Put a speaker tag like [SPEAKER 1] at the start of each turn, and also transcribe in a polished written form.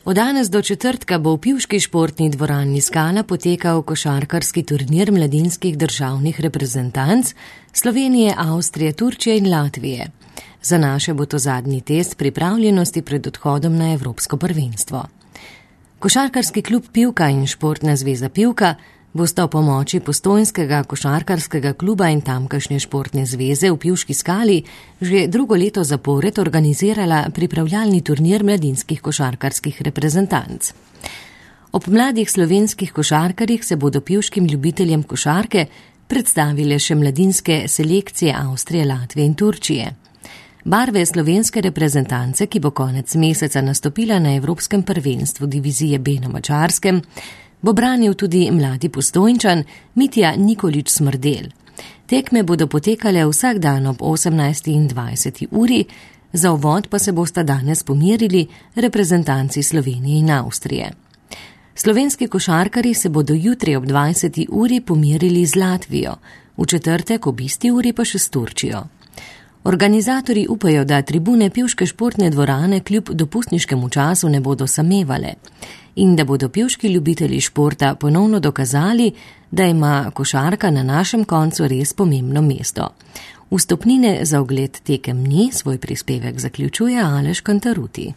[SPEAKER 1] Od danes do četrtka bo v pivški športni dvorani Skala potekal košarkarski turnir mladinskih državnih reprezentanc Slovenije, Avstrije, Turčije in Latvije. Za naše bo to zadnji test pripravljenosti pred odhodom na Evropsko prvenstvo. Košarkarski klub Pivka in Športna zveza Pivka bosta v pomoči Postojnskega košarkarskega kluba in tamkajšnje športne zveze v Pivški Skali že drugo leto zapored organizirala pripravljalni turnir mladinskih košarkarskih reprezentanc. Ob mladih slovenskih košarkarjih se bodo pivškim ljubiteljem košarke predstavile še mladinske selekcije Avstrije, Latvije in Turčije. Barve slovenske reprezentance, ki bo konec meseca nastopila na Evropskem prvenstvu divizije B na Madžarskem, bo branil tudi mladi Postojnčan Mitja Nikolič Smrdel. Tekme bodo potekale vsak dan ob 18:20 uri, za uvod pa se bosta danes pomerili reprezentanci Slovenije in Avstrije. Slovenski košarkarji se bodo jutri ob 20. uri pomerili z Latvijo, v četrtek ob isti uri pa še s Turčijo. Organizatorji upajo, da tribune pivške športne dvorane kljub dopustniškemu času ne bodo samevale in da bodo pivški ljubitelji športa ponovno dokazali, da ima košarka na našem koncu res pomembno mesto. Vstopnine za ogled tekem ni, svoj prispevek zaključuje Aleš Kantaruti.